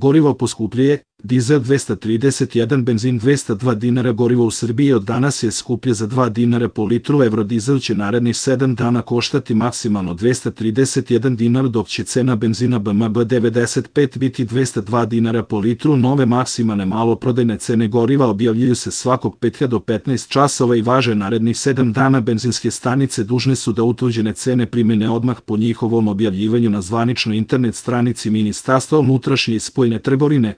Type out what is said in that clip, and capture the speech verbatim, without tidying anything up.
Gorivo poskupljuje, dizel dvesta trideset jedan, benzin dvesta dva dinara. Gorivo u Srbiji od danas je skuplje za dva dinara po litru. Eurodizel će narednih sedam dana koštati maksimalno dvesta trideset jedan dinar, dok će cena benzina B M B devedeset pet biti dvesta dva dinara po litru. Nove maksimalne maloprodajne cene goriva objavljuju se svakog petka do petnaest časova i važe narednih sedam dana. Benzinske stanice dužne su da utvrđene cene primene odmah po njihovom objavljivanju na zvaničnoj internet stranici Ministarstva unutrašnje i spoljne trgovine.